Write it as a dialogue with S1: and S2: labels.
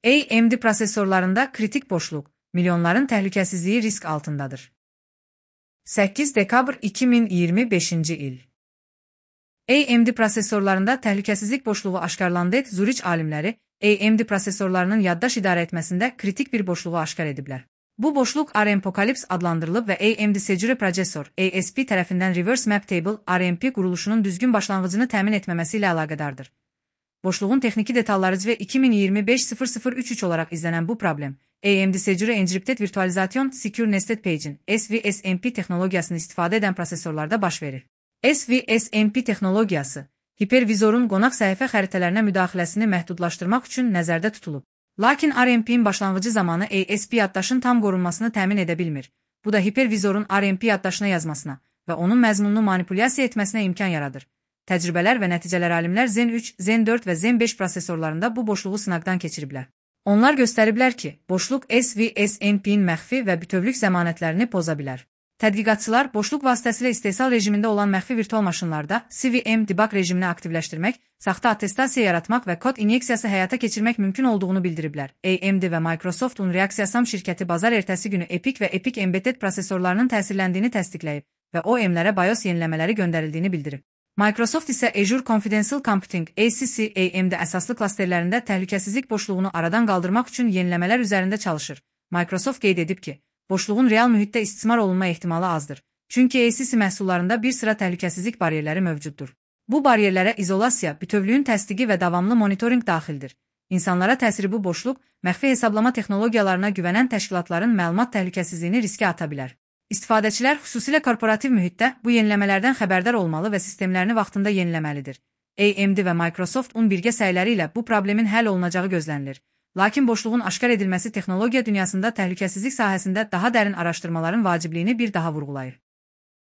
S1: AMD prosesorlarında kritik boşluq, milyonların təhlükəsizliyi risk altındadır. 8 dekabr 2025 il. AMD prosesorlarında təhlükəsizlik boşluğu aşkarlandı. Zurich alimləri AMD prosesorlarının yaddaş idarə etməsində kritik bir boşluğu aşkar ediblər. Bu boşluq ARM-Apocalypse adlandırılıb və AMD Secure Processor ASP tərəfindən Reverse Map Table RMP quruluşunun düzgün başlanğıcını təmin etməməsi ilə əlaqədardır. Boşluğun texniki detalları CV 2025-0033 olaraq izlənən bu problem, AMD Secure Encrypted Virtualization Secure Nested Page'in SVSMP texnologiyasını istifadə edən prosesorlarda baş verir. SVSMP texnologiyası, hipervizorun qonaq səhifə xəritələrinə müdaxiləsini məhdudlaşdırmaq üçün nəzərdə tutulub. Lakin RMP-in başlanğıcı zamanı ASP yaddaşın tam qorunmasını təmin edə bilmir. Bu da hipervizorun RMP yaddaşına yazmasına və onun məzmununu manipulyasiya etməsinə imkan yaradır. Təcrübələr və nəticələr alimlər Zen 3, Zen 4 və Zen 5 prosesorlarında bu boşluğu sınaqdan keçiriblər. Onlar göstəriblər ki, boşluq SVSMP-in məxfi və bütövlük zəmanətlərini poza bilər. Tədqiqatçılar boşluq vasitəsilə istehsal rejimində olan məxfi virtual maşınlarda CVM debug rejimini aktivləşdirmək, saxta attestasiya yaratmaq və kod inyeksiyası həyata keçirmək mümkün olduğunu bildiriblər. AMD və Microsoft Reaksiyasam şirkəti bazar ertəsi günü EPIC və EPIC Embedded prosesorlarının təsirləndiyini təsdiqləyib və OEM-lərə BIOS yeniləmələri göndərildiyini bildirib. Microsoft isə Azure Confidential Computing ACC AMD əsaslı klasterlərində təhlükəsizlik boşluğunu aradan qaldırmaq üçün yeniləmələr üzərində çalışır. Microsoft qeyd edib ki, boşluğun real mühitdə istismar olunma ehtimalı azdır. Çünki ACC məhsullarında bir sıra təhlükəsizlik bariyerləri mövcuddur. Bu bariyerlərə izolasiya, bütövlüyün təsdiqi və davamlı monitorinq daxildir. İnsanlara təsiri bu boşluq, məxfi hesablama texnologiyalarına güvənən təşkilatların məlumat təhlükəsizliyini riskə ata bilər. İstifadəçilər xüsusilə korporativ mühitdə bu yeniləmələrdən xəbərdar olmalı və sistemlərini vaxtında yeniləməlidir. AMD və Microsoft-un birgə səyləri ilə bu problemin həll olunacağı gözlənilir. Lakin boşluğun aşkar edilməsi texnologiya dünyasında təhlükəsizlik sahəsində daha dərin araşdırmaların vacibliyini bir daha vurğulayır.